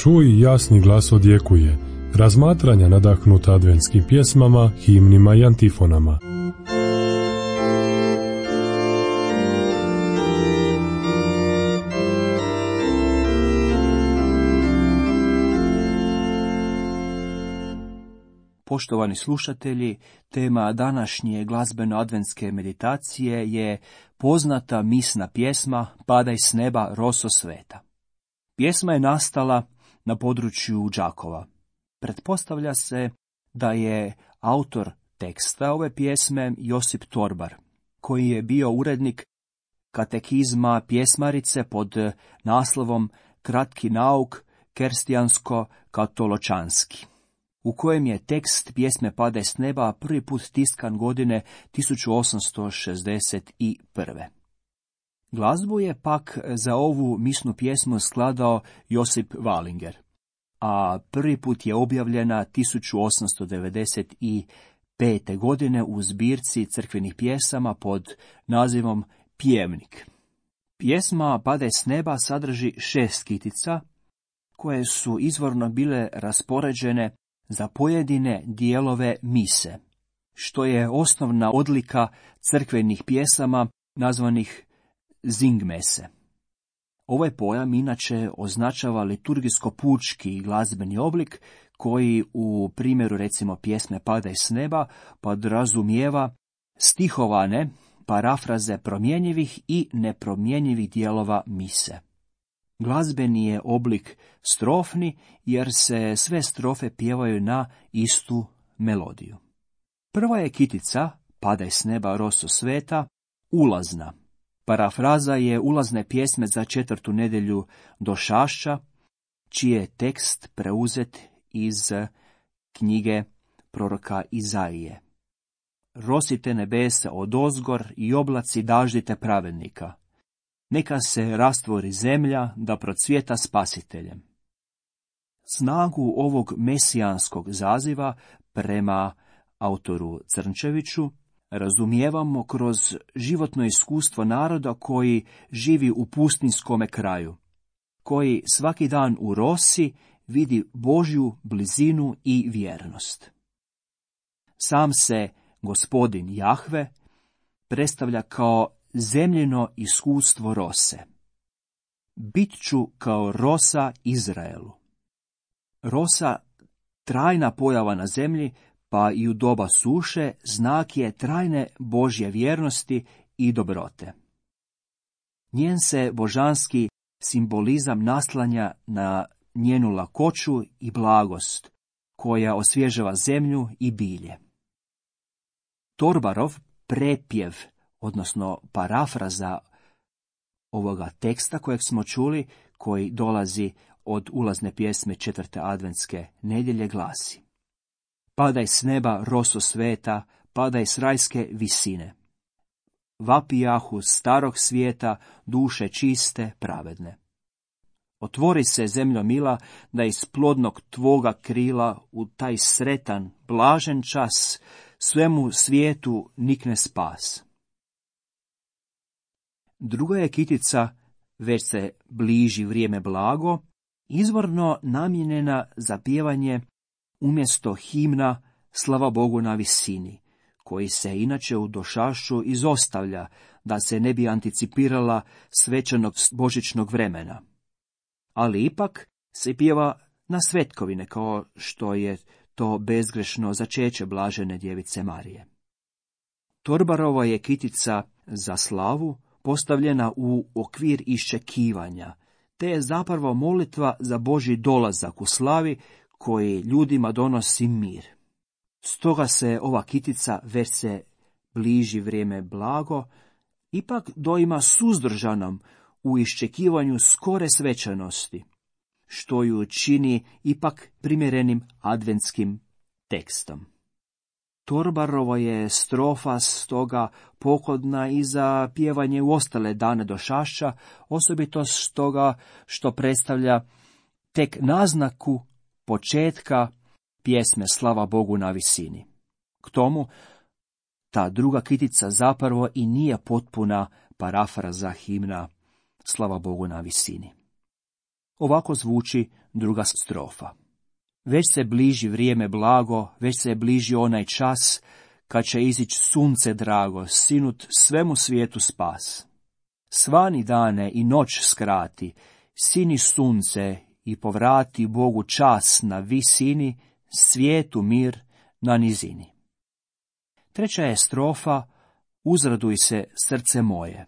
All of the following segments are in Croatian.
Čuj, jasni glas odjekuje. Razmatranja nadahnuta adventskim pjesmama, himnima i antifonama. Poštovani slušatelji, tema današnje glazbeno-adventske meditacije je poznata misna pjesma Padaj s neba, roso sveta. Pjesma je nastala na području Đakova. Pretpostavlja se da je autor teksta ove pjesme Josip Torbar, koji je bio urednik katekizma pjesmarice pod naslovom Kratki nauk krstijansko-katoločanski, u kojem je tekst pjesme Padaj s neba prvi put tiskan godine 1861. Glazbu je pak za ovu misnu pjesmu skladao Josip Valinger, a prvi put je objavljena 1895. godine u zbirci crkvenih pjesama pod nazivom Pjevnik. Pjesma Padaj s neba sadrži 6 kitica, koje su izvorno bile raspoređene za pojedine dijelove mise, što je osnovna odlika crkvenih pjesama nazvanih zingmese. Ovaj pojam inače označava liturgijsko-pučki glazbeni oblik koji u primjeru recimo pjesme Padaj s neba podrazumijeva stihovane parafraze promjenjivih i nepromjenjivih dijelova mise. Glazbeni je oblik strofni jer se sve strofe pjevaju na istu melodiju. Prva je kitica Padaj s neba, roso sveta, ulazna. Parafraza je ulazne pjesme za 4. nedjelju Došašća, čiji je tekst preuzet iz knjige proroka Izaije. Rosite nebesa odozgor i oblaci daždite pravednika. Neka se rastvori zemlja da procvjeta spasiteljem. Snagu ovog mesijanskog zaziva prema autoru Crnčeviću razumijevamo kroz životno iskustvo naroda koji živi u pustinskome kraju, koji svaki dan u rosi vidi Božju blizinu i vjernost. Sam se Gospodin Jahve predstavlja kao zemljino iskustvo rose. Bit ću kao rosa Izraelu. Rosa, trajna pojava na zemlji, pa i u doba suše, znak je trajne Božje vjernosti i dobrote. Njen se božanski simbolizam naslanja na njenu lakoću i blagost, koja osvježava zemlju i bilje. Torbarov prepjev, odnosno parafraza ovoga teksta kojeg smo čuli, koji dolazi od ulazne pjesme 4. adventske nedjelje, glasi: Padaj s neba, roso sveta, padaj s rajske visine. Vapijahu starog svijeta, duše čiste, pravedne. Otvori se, zemljo mila, da iz plodnog tvoga krila u taj sretan, blažen čas svemu svijetu nikne spas. Druga je kitica, već se bliži vrijeme blago, izvorno namijenjena za pjevanje umjesto himna Slava Bogu na visini, koji se inače u Došašću izostavlja da se ne bi anticipirala svečanog božićnog vremena. Ali ipak se pjeva na svetkovine, kao što je to bezgrešno začeće blažene djevice Marije. Torbarova je kitica za slavu postavljena u okvir iščekivanja, te je zapravo molitva za Božji dolazak u slavi koji ljudima donosi mir. Stoga se ova kitica, već se bliži vrijeme blago, ipak doima suzdržanom u iščekivanju skore svečanosti, što ju čini ipak primjerenim adventskim tekstom. Torbarova je strofa stoga pogodna i za pjevanje u ostale dane Došašća, osobito stoga što predstavlja tek naznaku početka pjesme Slava Bogu na visini. K tomu, ta druga kitica zapravo i nije potpuna parafraza himna Slava Bogu na visini. Ovako zvuči druga strofa. Već se bliži vrijeme blago, već se bliži onaj čas, kad će izići sunce drago, sinut svemu svijetu spas. Svani dane i noć skrati, sini sunce i povrati Bogu čas na visini, svijetu mir na nizini. Treća je strofa, uzraduj se srce moje.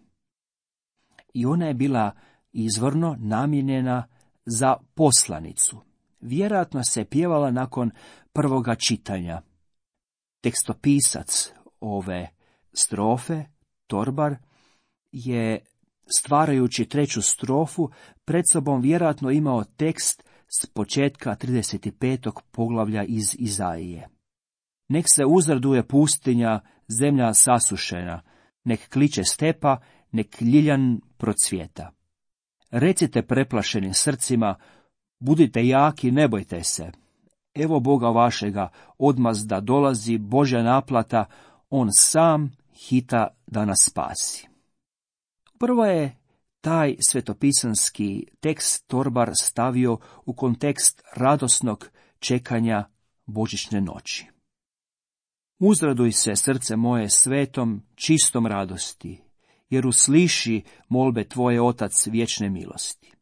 I ona je bila izvorno namijenjena za poslanicu. Vjerojatno se pjevala nakon prvoga čitanja. Tekstopisac ove strofe, Torbar, je stvarajući treću strofu pred sobom vjerojatno imao tekst s početka 35. poglavlja iz Izaije. Nek se uzraduje pustinja, zemlja sasušena, nek kliče stepa, nek ljiljan procvjeta. Recite preplašenim srcima, budite jaki, ne bojte se. Evo Boga vašega, odmazda dolazi, Božja naplata, on sam hita da nas spasi. Prvo je taj svetopisanski tekst Torbar stavio u kontekst radosnog čekanja božićne noći. Uzraduj se, srce moje, svetom, čistom radosti, jer usliši molbe tvoje, Otac vječne milosti.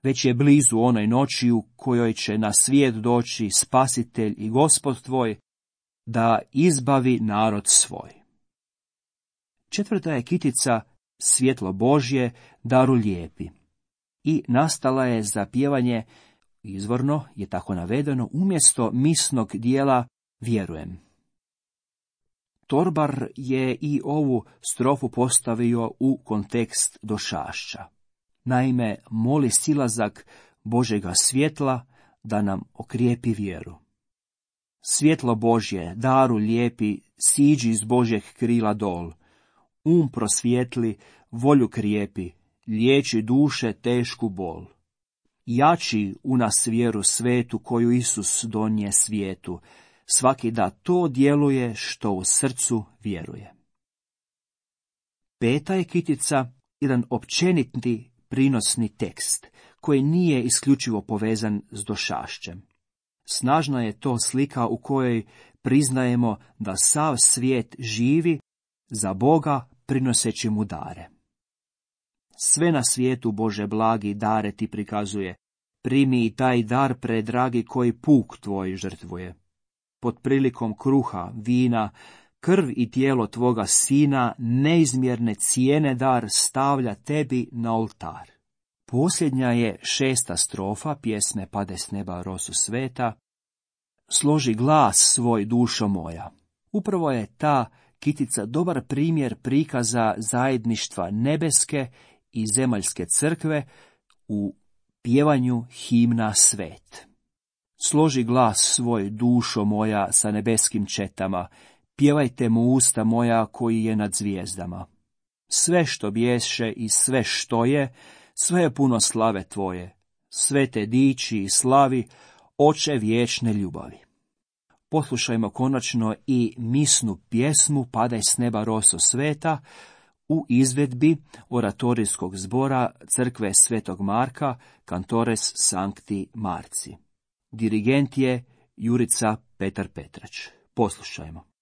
Već je blizu onoj noći u kojoj će na svijet doći Spasitelj i Gospod tvoj, da izbavi narod svoj. Četvrta je kitica svjetlo Božje, daru lijepi. I nastala je za pjevanje, izvorno je tako navedeno, umjesto misnog dijela vjerujem. Torbar je i ovu strofu postavio u kontekst došašća. Naime, moli silazak Božjega svjetla da nam okrijepi vjeru. Svjetlo Božje, daru lijepi, siđi iz Božjeg krila dol. Prosvijetli, volju krijepi, liječi duše tešku bol. Jači u nas vjeru svetu koju Isus donije svijetu, svaki da to djeluje što u srcu vjeruje. Peta je kitica jedan općeniti prinosni tekst, koji nije isključivo povezan s došašćem. Snažna je to slika u kojoj priznajemo da sav svijet živi za Boga prinoseći mu dare. Sve na svijetu, Bože blagi, dare ti prikazuje. Primi i taj dar, predragi, koji puk tvoj žrtvuje. Pod prilikom kruha, vina, krv i tijelo tvoga sina, neizmjerne cijene dar stavlja tebi na oltar. Posljednja je 6. strofa pjesme Pade s neba rosu sveta. Složi glas svoj, dušo moja. Upravo je ta kitica dobar primjer prikaza zajedništva nebeske i zemaljske crkve u pjevanju himna svet. Složi glas svoj, dušo moja, sa nebeskim četama, pjevajte mu usta moja koji je nad zvijezdama. Sve što bješe i sve što je, sve je puno slave tvoje, sve te diči i slavi, oče vječne ljubavi. Poslušajmo konačno i misnu pjesmu Padaj s neba roso sveta u izvedbi oratorijskog zbora crkve Svetog Marka, Cantores Sancti Marci. Dirigent je Jurica Petar Petrać. Poslušajmo.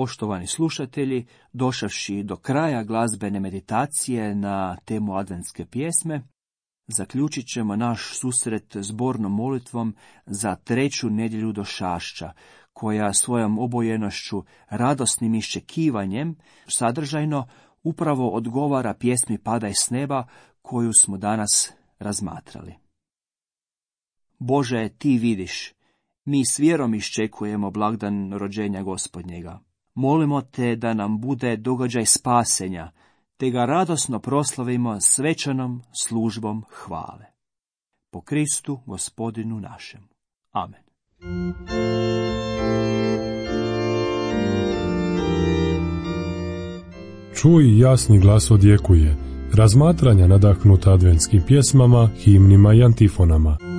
Poštovani slušatelji, došavši do kraja glazbene meditacije na temu adventske pjesme, zaključit ćemo naš susret zbornom molitvom za 3. nedjelju došašća, koja svojom obojenošću, radosnim iščekivanjem, sadržajno upravo odgovara pjesmi Padaj s neba koju smo danas razmatrali. Bože, ti vidiš, mi s vjerom iščekujemo blagdan rođenja Gospodnjega. Molimo te da nam bude događaj spasenja, te ga radosno proslavimo svečanom službom hvale. Po Kristu, Gospodinu našem. Amen. Čuj, jasni glas odjekuje, razmatranja nadahnuta adventskim pjesmama, himnima i antifonama.